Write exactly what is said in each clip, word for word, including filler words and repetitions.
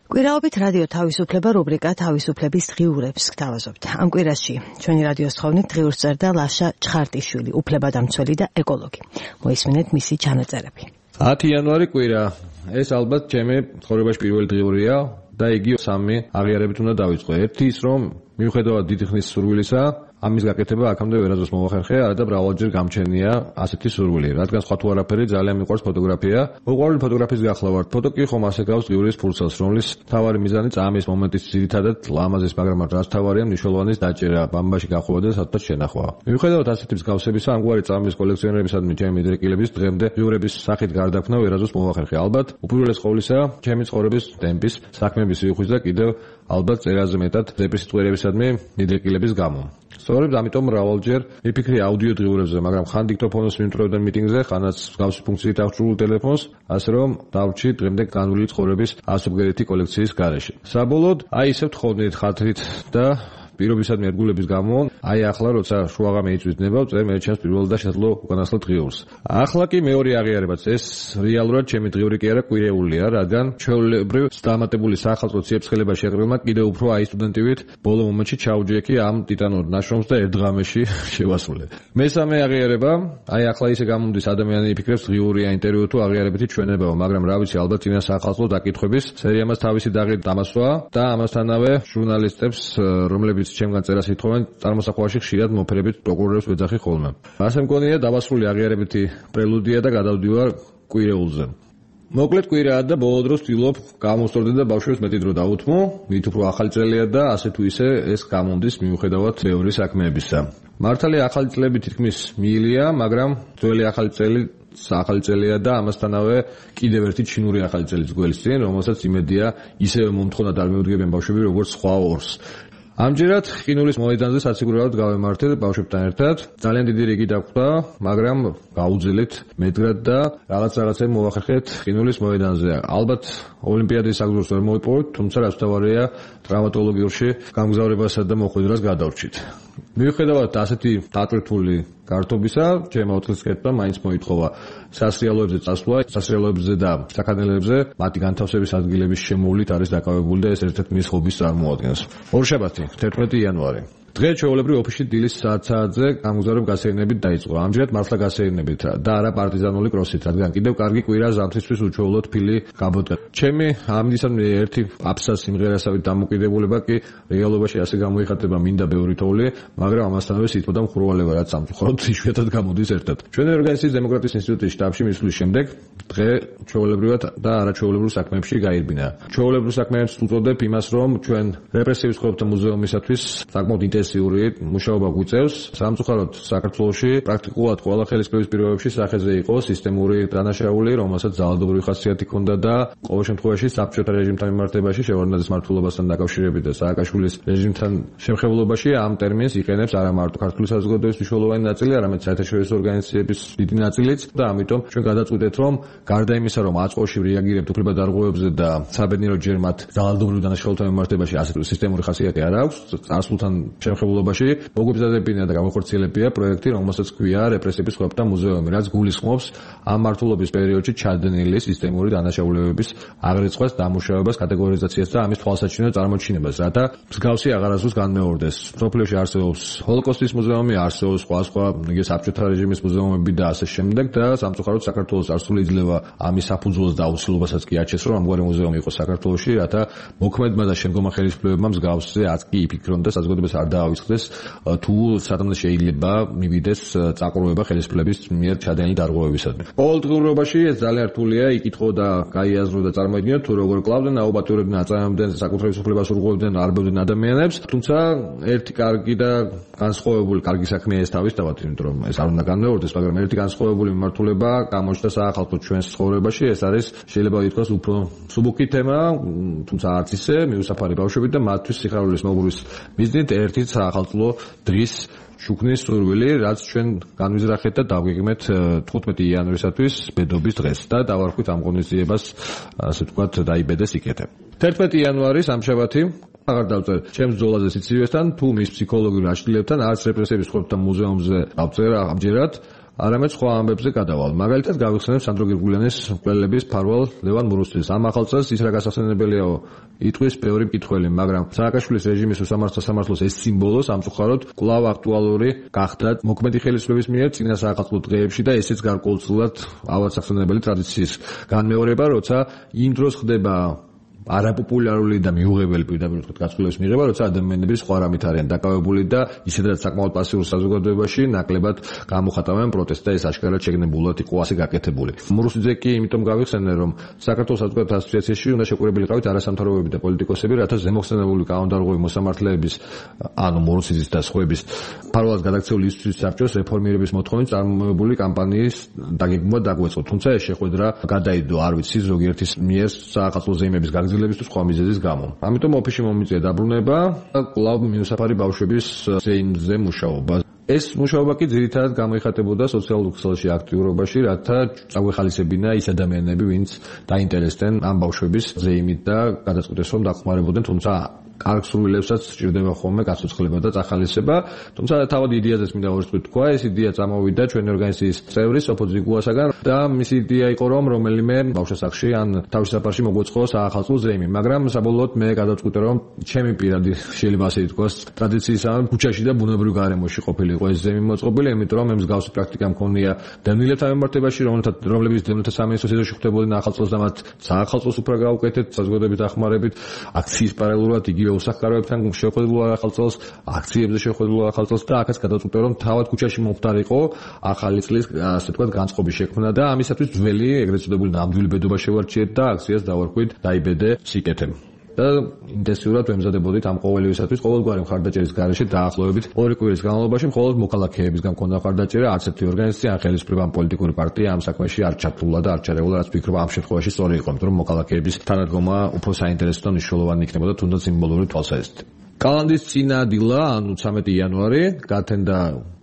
კვირაობით რადიო თავისუფლება რუბრიკა თავისუფლების დღიურებს გთავაზობთ. ამ კვირაში ჩვენი რადიოს თხოვნით დღიურს წერდა ლაშა ჩხარტიშვილი, უფლებადამცველი და ეკოლოგი. მოისმინეთ მისი ჩანაწერები. ათი იანვარი კვირა. ეს ალბათ ჩემი ცხოვრებაში პირველი დღიურია და იგი სამი აღიარებით უნდა დავიწყო. ერთი ის, რომ მიუხედავად დიდი ხნის სურვილისა, ამის გაკეთება აქამდე ვერასდროს მოვახერხე, არა და მრავალჯერ გამჩენია ასეთი სურვილი. რადგან სხვა თუ არაფერი ძალიან მიყვარს ფოტოგრაფია. მოყვარული ფოტოგრაფის გახლა ვარ. ფოტო კი ხომ ასე გავს დღიურის ფურცელს, რომლის თავარი მიზანი წამის მომენტის ძირითადად ლამაზის, მაგრამ რაც თავარია მნიშვნელოვანის დაჭერა, ბამბაში გახვევა და სადღაც შენახვა. მიუხედავად ასეთი მსგავსებისა, ამგვარი წამის კოლექციონერებისადმი ჩემი მიდრეკილების დღემდე დღიურების სახით გარდაქმნა ვერასდროს მოვახერხე. ალბათ უპირველეს ყოვლისა, ჩემი ცხოვრების ტემპის, საქმეების სიუხვის და კიდევ ალბათ წერაზე მეტად დეპრესიტუერებისადმი მიდრეკილების გამო. სწორედ ამიტომ მრავალჯერ მიფიქრე აუდიო დღიურებზე, მაგრამ ხან დიქტოფონს მიმწვევდნენ მიტინგზე, ხანაც მსგავსი ფუნქციით აღჭურვილ ტელეფონს, ასე რომ დავრჩი დღემდე განვლილი ცხოვრების ასობგერითი კოლექციის გარეშე. საბოლოოდ, აი ისე ვთხოვდით ხათრით და პირობისადმი ერთგულების გამო, აი ახლა როცა შუაღამე იწვის ნება, წერ მე ჩემს პირველ და შესაძლო უკანასკნელ დღიურს. ახლა კი მეორე აღიარებაც, ეს რეალურად ჩემი დღიური კი არა, კვირეულია, რადგან ჩვეულებრივ დამატებული სახალხო ციებ-ცხელებმა შეყრილმა კიდევ უფრო აი სტუდენტივით ბოლო მომენტში ჩაუჯექი ამ ტიტანურ ნაშრომს და ერთ ღამეში შევასრულე. მესამე აღიარება, აი ახლა ისე გამოდის ადამიანი იფიქრებს დღიურია ინტერვიუ თუ აღიარებითი ჩვენებაა, მაგრამ რა ვიცი, ალბათ წინა სახალხო დაკითხების სერიამას თავისი დაღი დამასვა და ამასთანავე ჟურნალისტებს, რომლებიც ჩემგან წერას ითხოვენ, წარმოსახვაში ხშირად მოფერებით პროკურორებს ვეძახი ხოლმე. ასე მგონია დავასრულე აღიარებითი პრელუდია და გადავდივარ კვირეულზე. მოკლედ კვირაა და ბოლო დროს ვცდილობ გამოვსწორდე და ბავშვებს მეტი დრო დავუთმო, მით უფრო ახალი წელია და ასე თუ ისე ეს გამომდის მიუხედავად ბევრი საქმეებისა. მართალია ახალი წლები თითქმის მიილია, მაგრამ ძველი ახალი წელი ახალი წელია და ამასთანავე კიდევ ერთი ჩინური ახალი წელიც გველის წინ, რომელსაც იმედია ისევე მომთხოვნად არ მეუდგებიან ბავშვები როგორც სხვა ორს. ამჯერად ყინულის მოედანზე საციგურაოდ გავემართე ბავშვებთან ერთად. ძალიან დიდი რიგი დაგვდა, მაგრამ გაუძილეთ მედგრად და რაღაც რაღაცები მოვახერხეთ ყინულის მოედანზე. ალბათ ოლიმპიადის საგზურს ვერ მოვიპოვოთ, თუმცა რაც თავარია ტრავმატოლოგიურში გამგზავრებასა და მოხვედრას გადავრჩით. მიუხედავად ასეთი დატვირთული გართობისა, ჩემო ოთხის კეთება მაინც მოითხოვა სასრიალოებზე წასვლა, სასრიალოებზე და საქანელებზე მათი განთავსების ადგილების შემოვლით არის დაკავებული და ეს ერთ-ერთი მის ჰობის წარმოადგენს. ორშაბათი, თერთმეტი იანვარი. დღეს ჩვეულებრივ ოფისში დილის საათზე გამგზავრებ გასეირნებით დაიწყო. ამჯერად მართლა გასეირნებით და არა პარტიზანული კროსით, რადგან კიდევ კარგი კვირა ზამთრისთვის უჩვეულოდ ფილი გაბოდგა. ჩემი ამისამე ერთი აფსა სიმღერასავით დამოკიდებულება კი რეალობაში ასე გამოიხატება მინდა ბევრი თოვლი, მაგრამ ამასთანავე სიტყვა და მხურვალება რაც სამწუხაროდ იშვიათად გამოდის ერთად. ჩვენი ორგანიზაციის დემოკრატიის ინსტიტუტის შტაბში მისვლის შემდეგ დღე ჩვეულებრივად და არაჩვეულებრივ საქმეებში გაირბინა. ჩვეულებრივ საქმეებს უწოდებ იმას, რომ ჩვენ რეპრესივის ცხოვრებათა მუზეუმისათვის საკმაოდ ინტენსიური მუშაობა გვიწევს. სამწუხაროდ საქართველოში პრაქტიკულად ყველა ხელისუფლების პირობებში სახეზე იყო სისტემური დანაშაული, რომელსაც ძალადობრივი ხასიათი ჰქონდა და ყოველ შემთხვევაში საბჭოთა რეჟიმთან მიმართებაში შევარდნაძის მმართველობასთან დაკავშირებით და სააკაშვილის რეჟიმთან შემხებლობაში ამ ტერმინს იყენებს არა მარტო ქართული საზოგადოების მნიშვნელოვანი ნაწილი, არამედ საერთაშორისო ორგანიზაციების დიდი ნაწილიც და ამიტომ ჩვენ გადაწყვიტეთ, რომ გარდა იმისა, რომ აწყოში რეაგირებთ უფლებადარღვევებზე და საბედნიერო ჯერ მათ ძალადობრივ დანაშაულთან მიმართებაში ასეთ სისტემური ხასიათი არ აქვს, წარსულთან შემხებლობაში მოგებზადებინა და გამახორციელებია პროექტი, რომელსაც ქვია რეპრესიების ცხოვრებათა მუზეუმი, რაც გულისხმობს ამ მმართველობის პერიოდში ჩადენილი სისტემური დანაშაულებების აღრიცხვას, დამუშავებას, კატეგორიზაციას და ამის თვალსაჩინო წარმოჩინებას, რათა მსგავსი აღარასდროს განმეორდეს. მსოფლიოში არსებობს ჰოლოკოსტის მუზეუმი, არსებობს სხვა სხვა იგი საბჭოთა რეჟიმის მუზეუმები და ასე შემდეგ და სამწუხაროდ საქართველოს წარსული იძლევა ამის საფუძველს და აუცილებლობასაც კი აჩენს, რომ ამგვარი მუზეუმი იყოს საქართველოში, რათა მოქმედმა და შემდგომმა ხელისუფლებებმა მსგავსზე აწკი იფიქრონ და საზოგადოებას არ დაავიწყდეს თუ სათანადო შეიძლება მივიდეს წაყრუება ხელისუფლების მიერ ჩადენილი დარღვევებისადმი. ყოველდღიურობაში ეს ძალიან რთულია იკითხო და გაიაზრო და წარმოიდგინოთ თუ როგორ კლავდნენ, აუბატურებდნენ, აწარმოებდნენ საკუთრების უფლებას ურღვევდნენ, არბევდნენ ადამიანებს, თუმცა ერთი კარგი და განსხვავებული კარგი საქმეა ეს თავისთავად, იმიტომ რომ ეს არ უნდა განმეორდეს, მაგრამ ერთი განსხვავებული მიმართულება გამოჩნდა საახალწლო ჩვენს ცხოვრებაში, ეს არის შეიძლება ითქვას უფრო მსუბუქი თემა, თუმცა არც ისე მიუსაფარი ბავშვები და მათთვის სიხარულის მოგბურის მიზნით ერთი საახალწლო დღის შუქნის სურვილი, რაც ჩვენ განვიზრახეთ და დავგეგმეთ თხუთმეტი იანვრისათვის ბედობის დღეს და დავარქვით ამ ღონისძიებას, ასე ვთქვათ, დაიბედეს იქეთე. თერთმეტი იანვარი სამშაბათი აღარ დავწერ ჩემს ბრძოლაზე სიცივესთან, თუ მის ფსიქოლოგიურ აშლილებთან, არც რეპრესიების ცხოვრებათა მუზეუმზე დავწერ ამჯერად. არამედ სხვა ამბებზე გადავალ. მაგალითად გავიხსენებ სანდრო გირგულიანის მკვლელების მფარვალ ლევან მურუსძეს. ამ ახალ წელს ის რა გასახსენებელიაო იტყვის ბევრი მკითხველი, მაგრამ სააკაშვილის რეჟიმის უსამართლო სამართლოს ეს სიმბოლო სამწუხაროდ კვლავ აქტუალური გახდა მოქმედი ხელისუფლების მიერ წინა საახალწლო დღეებში და ესეც გარკვეულწილად ავადსახსენებელი ტრადიციის განმეორება, როცა იმ დროს ხდება არაპოპულარული და მიუღებელი პირდაპირ ვთქვათ გაცვლილების მიღება, როცა ადამიანები სხვა რამით არიან დაკავებული და ისედაც საკმაოდ პასიურ საზოგადოებაში ნაკლებად გამოხატავენ პროტესტს და ეს აშკარად შეგნებულად იყო ასე გაკეთებული. მურუსიძე კი იმიტომ გავიხსენე, რომ საქართველოს საზოგადოებრივ ასოციაციაში უნდა შეკვირებელი ყავით არასამთავრობოები და პოლიტიკოსები, რათა ზემოხსენებული კანონდარღვევი მოსამართლეების, ანუ მურუსიძის და სხვების მფარველად გადაქცეული ისთვის საბჭოს რეფორმირების მოთხოვნით წარმოებული კამპანიის დაგეგმვა დაგვეწყო. თუმცა ეს შეხვედრა გადაიდო, არ ვიცი, ზოგიერთის მიერ საახალწლო ზეიმების გაგზავნა ლების თუ სხვა მიზეზის გამო. ამიტომ ოფისში მომიწია დაბრუნება და კვლავ მინუსაფარი ბავშვების ზეიმზე მუშაობა. ეს მუშაობა კი ძირითადად გამოიხატებოდა სოციალურ ქსელში აქტიურობაში, რათა წაგვეხალისებინა ის ადამიანები, ვინც დაინტერესდნენ ამ ბავშვების ზეიმით და გადაწყვიტეს რომ დახმარებოდნენ, თუმცა კარგ სურვილებსაც სჭირდება ხოლმე გაცოცხლება და წახალისება. თუმცა თავად იდეაზეც მინდა ვერცხლით თქვა, ეს იდეა წამოვიდა ჩვენი ორგანიზაციის წევრის სოფო ძიგუასაგან და მისი იდეა იყო რომ რომელიმე ბავშვსახში ან თავის საფარში მოგვეწყო საახალწლო ზეიმი, მაგრამ საბოლოოდ მე გადავწყვიტე რომ ჩემი პირადი შეიძლება ასე ითქვას ტრადიციისგან ქუჩაში და ბუნებრივ გარემოში ყოფილიყო ეს ზეიმი მოწყობილი, იმიტომ რომ მე მსგავსი პრაქტიკა მქონია დევნილებთან მიმართებაში, რომლებიც დევნილთა სამინისტროს ეზოში ხვდებოდნენ ახალწლოს და მათ საახალწლოს უფრა გაუკეთეთ საზოგადოების დახმარებით, აქციის პარალელურად იგი უსახკაროებთან შეხვედრილო ახალწელს, აქციებზე შეხვედრილო ახალწელს და აქაც გადავწყვიტე რომ თავად ქუჩაში მომხდარიყო ახალი წლის ასე ვთქვათ განწყობის შექმნა და ამისათვის ძველი ეგრეთ წოდებული ნამდვილი ბედობა შევარჩიეთ და აქციას დავარქვით დაიბედე სიკეთე. და ინტენსიურად ვემზადებოდით ამ ყოველივისათვის ყოველგვარი მხარდაჭერის გარეშე დაახლოებით ორი კვირის განმავლობაში მხოლოდ მოქალაქეებისგან მქონდა მხარდაჭერა, არც ერთი ორგანიზაცია ან ხელისუფლება ან პოლიტიკური პარტია ამ საქმეში არ ჩართულა და არ ჩარეულა, რაც ვფიქრობ ამ შემთხვევაში სწორი იყო, იმიტომ რომ მოქალაქეების თანადგომა უფრო საინტერესო და მნიშვნელოვანი იქნებოდა თუნდაც სიმბოლური თვალსაზრისით. კალანდის წინა დილა, ანუ ცამეტი იანვარი, გათენდა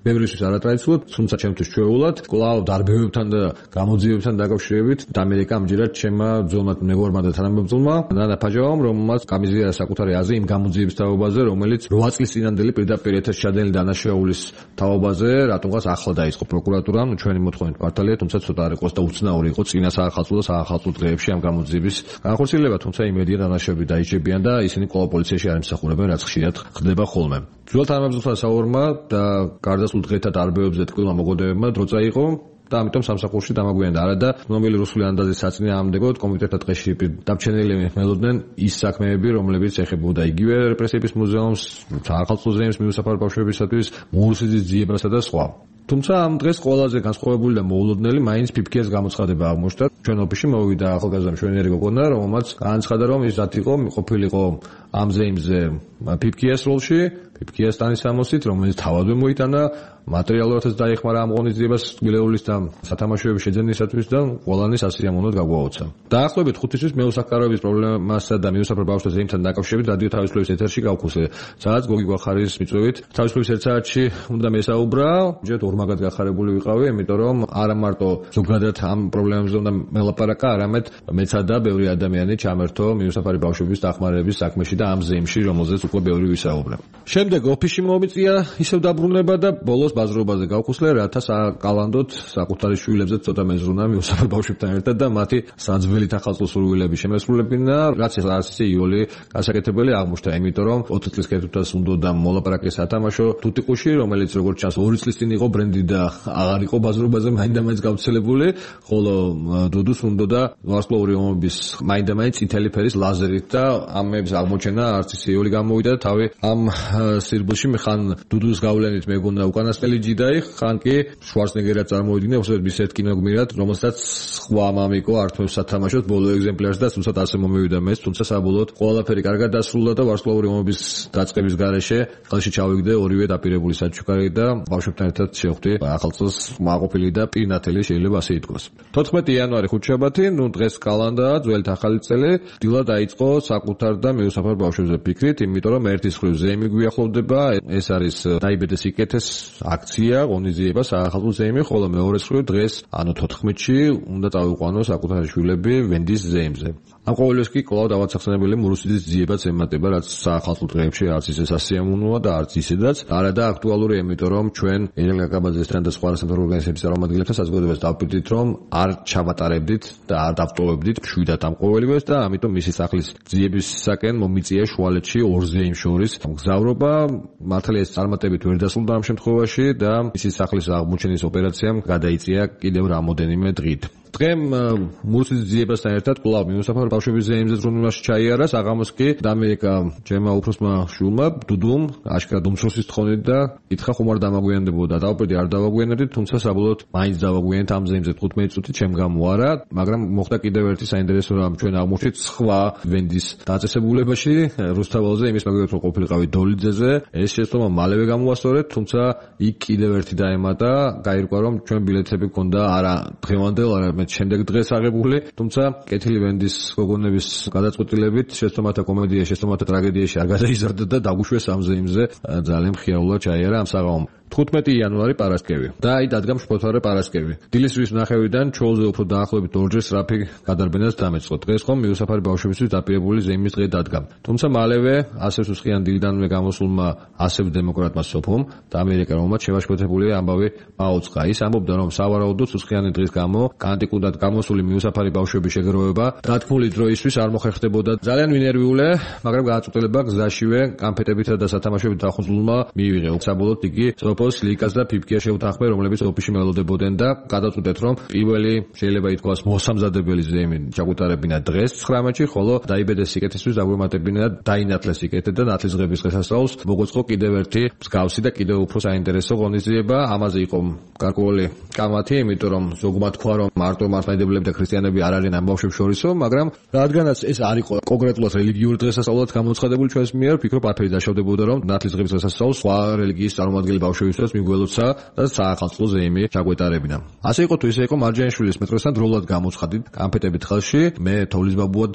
ბევრისთვის არატრადიციულად, თუმცა ჩემთვის ჩვეულად, კვლავ დარბევებთან და გამოძიებებთან დაკავშირებით ამერიკა ამჯერად ჩემმა ძოლმა მეგობარმა და თანამებრძოლმა ნანა ფაჯავამ, რომელმაც გამიზიარა საკუთარი აზრი იმ გამოძიების თაობაზე, რომელიც რვა წლის წინანდელი პირდაპირ ეთერში ჩადენილი დანაშაულის თაობაზე, რატომღაც ახლა დაიწყო პროკურატურამ, ჩვენი მოთხოვნით მართალია, თუმცა ცოტა არ იყოს და უცნაური იყო წინა საახალწლო და საახალწლო დღეებში ამ გამოძიების განხორციელება, თუმცა იმედია დანაშაულები დაიჭებიან და ისინი კვლავ პოლიციაში არ იმსახურებენ, რაც ხშირად ხდება ხოლმე. ძველ თანამებრძოლთან საუბარმა და გარდაცვლილ დღეთა დარბევებზე ტკბილმა მოგოდებებმა დრო წაიღო და ამიტომ სამსახურში დამაგვიანდა. არადა ცნობილი რუსული ანდაზის საწინე ამდეგოდ კომიტეტთა ტყეში დაბჩენილი მელოდნენ ის საქმეები, რომლებიც ეხებოდა იგივე რეპრესიების მუზეუმს, საახალწლო ზეიმს მიუსაფარ ბავშვებისათვის, მურუსიძის ძიებასა და სხვა. თუმცა ამ დღეს ყველაზე განსხვავებული და მოულოდნელი მაინც ფიფქიას გამოცხადება აღმოჩნდა. ჩვენ ოფისში მოვიდა ახალგაზრდა მშვენიერი გოგონა, რომელმაც განაცხადა, რომ ის დათიყო, ყოფილიყო ამ ზეიმზე ფიფქიას როლში, ფიფქიას ტანისამოსით, რომელიც თავადვე მოიტანა, მატერიალურადაც დაეხმარა ამ ღონისძიებას ტკბილეულის და სათამაშოების შეძენისათვის და ყველანი სასიამოვნოდ გაგვაოცა. დაახლოებით ხუთი თვის მეუსახკაროების პრობლემასა და მიუსაფარ ბავშვთა ზეიმთან დაკავშირებით რადიო თავისუფლების ეთერში გავხუსე. სადაც გოგი გვახარის მიწვევით თავისუფლების ერთ საათში უნდა მესაუბრა, ჯერ ორმაგად გახარებული ვიყავი, იმიტომ რომ არა მარტო ზოგადად ამ პრობლემებზე უნდა მელაპარაკა, არამედ მეცა და ბევრი ადამიანი ჩამერთო მიუსაფარი ბავშვების დახმარების საქმეში და ამ ზეიმში, რომელზეც უკვე ბევრი ვისაუბრა. შემდეგ ოფისში მომიწია ისევ დაბრუნება და ბოლოს ბაზრობაზე გავხუსლე, რათა საკალანდოთ საკუთარი შვილებზე ცოტა მეზრუნა მიუსაფარ ბავშვებთან ერთად და მათი საძველით ახალწლო სურვილები შემესრულებინა, რაც არის ისე იოლი გასაკეთებელი აღმოჩნდა, იმიტომ რომ ოთხი წლის კეთილთვას უნდა მოლაპარაკე სათამაშო თუთიყუში, რომელიც როგორც ჩანს ორი წლის წინ იყო ბრენდი და აღარ იყო ბაზრობაზე მაინდა-მაინც გავრცელებული, ხოლო დუდუს უნდა და ვარსკვლავური ომების მაინდა-მაინც წითელი ფერის ლაზერით და ამების აღმოჩენა არც ისე იოლი გამოვიდა თავი ამ სირბულში ხან დუდუს გავლენით მეგონა უკანასკნელი ჯიდაი, ხან კი შვარცნეგერად წარმოვიდგინე, უბრალოდ მის ერთ კინოგმირად, რომელსაც სხვა მამიკო ართმევს სათამაშოდ ბოლო ეგზემპლარს და თუმცა ასე მომივიდა მეც, თუმცა საბოლოოდ ყველაფერი კარგად დასრულდა და ვარსკვლავური ომების დაწყების გარეშე ხელში ჩავიგდე ორივე დაპირებული საჩუქარი და ბავშვებთან ერთად შევხვდი ახალწელს მაყოფილი და პირნათელი შეიძლება ასე ითქვას. თოთხმეტი იანვარი ხუთშაბათი, ნუ დღეს კალანდაა, ძველთ ახალი წელი, დილა დაიწყო საკუთარ და მიუსაფარ ბავშვებზე ფიქრით, იმიტომ იმიტომ რომ ერთის მხრივ ზეიმი გვიახლოვდება, ეს არის დაიბედეს სიკეთეს აქცია, ღონისძიება საახალწლო ზეიმი, ხოლო მეორე მხრივ დღეს ანუ თოთხმეტში უნდა წავიყვანოს საკუთარი შვილები ვენდის ზეიმზე. ამ ყოველივეს კი კვლავ დავაცახსენებელი მურუსიძის ძიებაც ემატება, რაც საახალწლო დღეებში არც ისე სასიამოვნოა და არც ისედაც არა და აქტუალურია, იმიტომ რომ ჩვენ ერგენ კაკაბაძესთან და სხვა სამთავრობო ორგანიზაციების წარმომადგენლებთან საზოგადოებას დავპირდით, რომ არ ჩავატარებდით და არ დავტოვებდით მშვიდად ამ ყოველივეს და ამიტომ მისი სახლის ძიებისაკენ მომიწია შუალედში ორ ზეიმს შორის მგზავრობა. მართალია ეს წარმატებით ვერ დასრულდა ამ შემთხვევაში და მისი სახლის აღმოჩენის ოპერაციამ გადაიწია კიდევ რამოდენიმე დღით. დღემ მურუსიძის ძიებასთან ერთად კვლავ მიუსაფარ ბავშვების ზეიმზე ზრუნვაში ჩაიარა საღამოს კი ამერიკა ჩემმა უფროსმა შვილმა დუდუმ აშკარად უმცროსის თხოვნით და ითხრა ხომ არ დამაგვიანდებოდა. დავპირდი არ დავაგვიანებდით, თუმცა საბოლოოდ მაინც დავაგვიანეთ ამ ზეიმზე თხუთმეტი წუთი ჩემ გამო არა, მაგრამ მოხდა კიდევ ერთი საინტერესო რამ ჩვენ აღმოჩნდით სხვა ვენდის დაწესებულებაში რუსთაველზე იმის მაგალითად რომ ყოფილიყავი დოლიძეზე, ეს შეცდომა მალევე გამოასწორეთ, თუმცა იქ კიდევ ერთი დაემატა, გაირკვა რომ ჩვენ ბილეთები გქონდა არა დღევანდელ, არა შემდეგ დღეს აღებული, თუმცა კეთილი ვენდის გოგონების გადაწყვეტილებით შეცდომათა კომედია, შეცდომათა ტრაგედიაში არ გადაიზარდა და დაგუშვეს ამ ზეიმზე ძალიან მხიარულად ჩაიარა ამ საღამომ. თხუთმეტი იანვარი პარასკევი და აი დადგა მშფოთვარე პარასკევი. დილისთვის ნახევრიდან ჩოლზე უფრო დაახლოებით ორჯერ სწრაფი გადარბენას დამეწყო. დღეს ხომ მიუსაფარი ბავშვებისთვის დაპირებული ზეიმის დღე დადგა. თუმცა მალევე ასევ სუსხიან დილიდანვე გამოსულმა ასევ დემოკრატმა სოფომ და ამერიკელმა შევაშფოთებული ამბავი აუწყა. ის ამბობდა რომ სავარაუდოდ სუსხიანი დღის გამო კანტიკურად გამოსული მიუსაფარი ბავშვების შეგროვება დათმული დროისთვის არ მოხერხდებოდა. ძალიან ვინერვიულე, მაგრამ გააწყვეტილება გზაშივე კანფეტებითა და სათამაშოებით დახუძულმა მიიღე. საბოლოოდ იგი სოფოს ლიკას და ფიფკია შეუთანხმე, რომლებიც ოფისში მელოდებოდნენ და გადაწყვეტეთ რომ პირველი შეიძლება ითქვას მოსამზადებელი ზეიმი ჩაგუტარებინა დღეს ცხრამეტში, ხოლო დაიბედეს სიკეთისთვის დაგვემატებინა დაინათლეს სიკეთე და ნათლისღების დღესასწაულს მოგვეწყო კიდევ ერთი მსგავსი და კიდევ უფრო საინტერესო ღონისძიება. ამაზე იყო გარკვეული კამათი, იმიტომ რომ ზოგმა თქვა რომ მარტო მართლმადიდებლები და ქრისტიანები არ არიან ამ ბავშვებს შორისო, მაგრამ რადგანაც ეს არ იყო კონკრეტულად რელიგიური დღესასწაულად გამოცხადებული ჩვენს მიერ, ვფიქრობ არაფერი დაშავდებოდა რომ ნათლისღების დღესასწაულს სხვა რელიგიის წარმომადგენელი ბავშვებისთვის მიგველოცა და საახალწლო ზეიმი ჩაგვეტარებინა. ასე იყო თუ ისე იყო მარჯანიშვილის მეტროსთან დროულად გამოცხადით კანფეტებით ხელში, მე თოვლის ბაბუად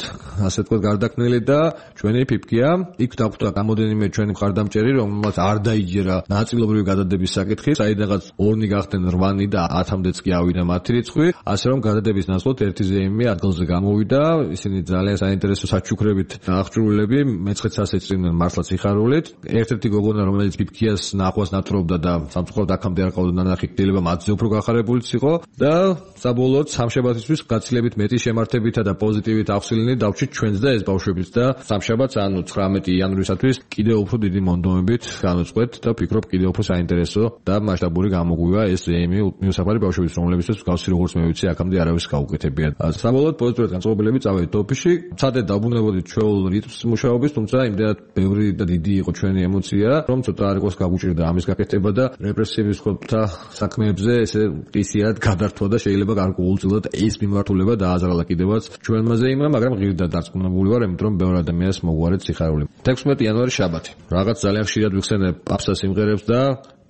ასე თქვა გარდაქმნილი და ჩვენი ფიფკია იქ დაგვხვდა გამოდენიმე ჩვენი მხარდამჭერი, რომელმაც არ დაიჯერა ნაწილობრივი გადადების საკითხი, საიდანაც ორნი გახდნენ რვანი და ათამდეც კი ავიდა მათი რიცხვი, ასე რომ გადადების ნაცვლად ერთი ზეიმი ადგილზე გამოვიდა, ისინი ძალიან საინტერესო საჩუქრებით აღჭურვილები, მეცხრეც ასე წვიმდნენ მართლაც სიხარულით. ერთ-ერთი გოგონა რომელიც ფიფკიას ნახვას ნატრობდა და სამწუხაროდ აქამდე არ ყავდა ნანახი, შეიძლება მათზე უფრო გახარებულიც იყო და საბოლოოდ სამშაბათისთვის გაცილებით მეტი შემართებითა და პოზიტივით აღსილინი დავჭით ჩვენს და ეს ბავშვებიც და სამშაბათს ანუ ცხრამეტი იანვრისათვის კიდევ უფრო დიდი მონდომებით განუწყვეთ და ვფიქრობ კიდევ უფრო საინტერესო და მასშტაბური გამოგვივა ეს ზეიმი მიუსაფარი ბავშვების, რომლებისთვის მსგავსი როგორც მე ვიცი აქამდე არავის გაუკეთებია. საბოლოოდ პოზიტიურად განწყობილები წავედით ოფისში, ცადე დაბრუნებოდით ჩვეულ რიტმს მუშაობის, თუმცა იმდენად ბევრი და დიდი იყო ჩვენი ემოცია, რომ ცოტა არ იყოს გაგუჭირდა ამის გაკეთება და რეპრესიების ხოთა საქმეებზე ესე ყისიათ გადართვა და შეიძლება გარკვეულწილად ეს მიმართულება დააზარალა კიდევაც ჩვენმა ზეიმმა, მაგრამ ღირდა დარწმუნებული ვარ, იმიტომ რომ ბევრ ადამიანს მოგვარეთ სიხარული. თექვსმეტი იანვარი შაბათი. რაღაც ძალიან ხშირად ვიხსენებ პაპსა სიმღერებს და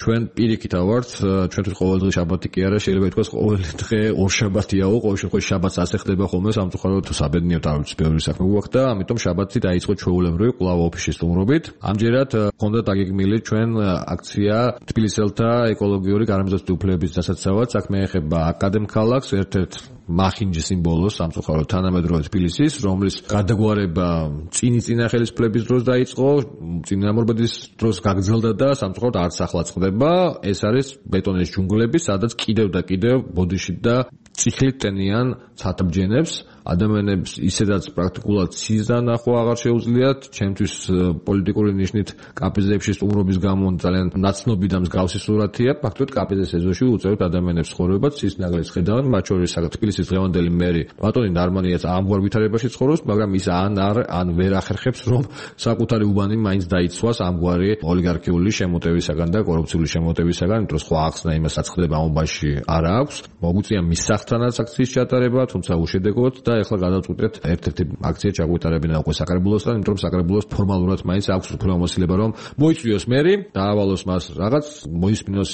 ჩვენ პირიქით ავართ, ჩვენთვის ყოველ დღე შაბათი კი არა, შეიძლება ითქვას ყოველი დღე ორ შაბათიაო, ყოველ შემთხვევაში შაბათს ასე ხდება ხოლმე, სამწუხაროდ თუ საბედნიეროდ არ ვიცი, ბევრი საქმე გვაქვს და ამიტომ შაბათი დაიწყო ჩვეულებრივი კვლავ ოფისში სტუმრობით. ამჯერად ჰქონდა დაგეგმილი ჩვენ აქცია თბილისელთა ეკოლოგიური გარემოსდაცვის უფლებების დასაცავად, საქმე ეხება აკადემქალაქს, ერთ-ერთ მახინჯის სიმბოლოს, სამწუხაროდ თანამედროვე თბილისის, რომლის გადაგვარება წინის წინახელისფლების დროს დაიწყო, წინამორბედის დროს გაგრძელდა და სამწუხაროდ არც ახლა წყდება. ეს არის ბეტონის ჯუნგლები, სადაც კიდევ და კიდევ ბოდიში და წიხლით ტენიან ცათაბჯენებს. ადამიანებს ისედაც პრაქტიკულად სიზდა ნახვა აღარ შეუძლიათ, ჩემთვის პოლიტიკური ნიშნით კაპიზებში სტუმრობის გამო ძალიან ნაცნობი და მსგავსი სურათია. ფაქტობრივად კაპიზის ეზოში უწევთ ადამიანებს ცხოვრებას, ის ნაგლეს ხედავენ, მათ შორის თბილისის დღევანდელი მერი ბატონი ნარმანიაც ამგვარ ვითარებაში ცხოვრობს, მაგრამ ის ან არ ან ვერ ახერხებს, რომ საკუთარი უბანი მაინც დაიცვას ამგვარი ოლიგარქიული შემოტევისაგან და კორუფციული შემოტევისაგან, იმიტომ რომ სხვა ახსნა იმას აცხადება ამ უბანში არ აქვს. მოგვიწია მის სახთანაც აქციის ჩატარება, თუმცა უშედეგოდ და ეხლა გადავწყვიტეთ ერთ-ერთი აქცია ჩაგვიტარებინა უკვე საკრებულოსთან, იმიტომ რომ საკრებულოს ფორმალურად მაინც აქვს უფლებამოსილება რომ მოიწვიოს მერი, დაავალოს მას რაღაც, მოისმინოს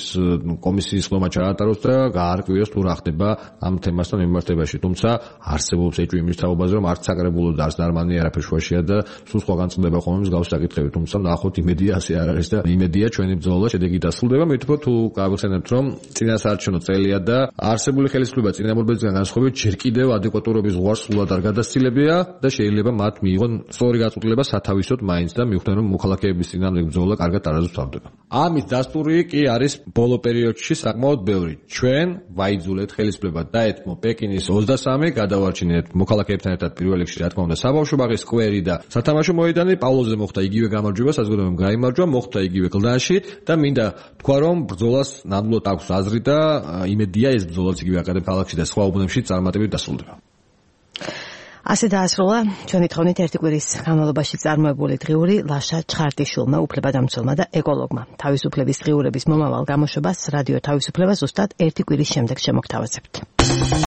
კომისიის ხდომა ჩაატაროს და გაარკვიოს თუ რა ხდება ამ თემასთან მიმართებაში. თუმცა არსებობს ეჭვი იმის თაობაზე რომ არც საკრებულო და არც ნარმანი არაფერ შუაშია და სულ სხვაგან წყდება ხოლმე მსგავსი საკითხები. თუმცა ნახოთ იმედია ასე არ არის და იმედია ჩვენი ბრძოლა შედეგი დასრულდება. მე ვთქვი თუ გავიხსენებთ რომ წინასაარჩევნო წელია და არსებული ხელისუფლება წინამორბედისგან განსხვავებით ჯერ კიდევ ადეკვატურობის ზღვარს სულად არ გადასცილებია და შეიძლება მათ მიიღონ სწორი გაწყვეტილება სათავისოდ მაინც და მიხვდნენ რომ მოქალაქეების წინამდე ბრძოლა კარგად არაზუსტავდება. ამის დასტური კი არის ბოლო პერიოდში საკმაოდ ბევრი. ჩვენ ვაიძულეთ ხელისუფლება დაეთმო პეკინის ოცდასამი, გადავარჩინეთ მოქალაქეებთან ერთად პირველ რიგში რა თქმა უნდა საბავშვო ბაღის სკვერი და სათამაშო მოედანი. პავლოზე მოხდა იგივე გამარჯვება, საზოგადოებამ გაიმარჯვა, მოხდა იგივე გლდანში და მინდა თქვა რომ ბრძოლას ნამდვილად აქვს აზრი და იმედია ეს ბრძოლაც იგივე აკადემ ქალაქში და სხვა უბნებში წარმატებით დასრულდება. ასე დაასრულა ჩვენი თხოვნით ერთი კვირის განმავლობაში წარმოებული დღიური ლაშა ჩხარტიშვილმა, უფლებადამცველმა და ეკოლოგმა. თავისუფლების დღიურების მომავალ გამოშვებას რადიო თავისუფლება ზუსტად ერთი კვირის შემდეგ შემოგთავაზებთ.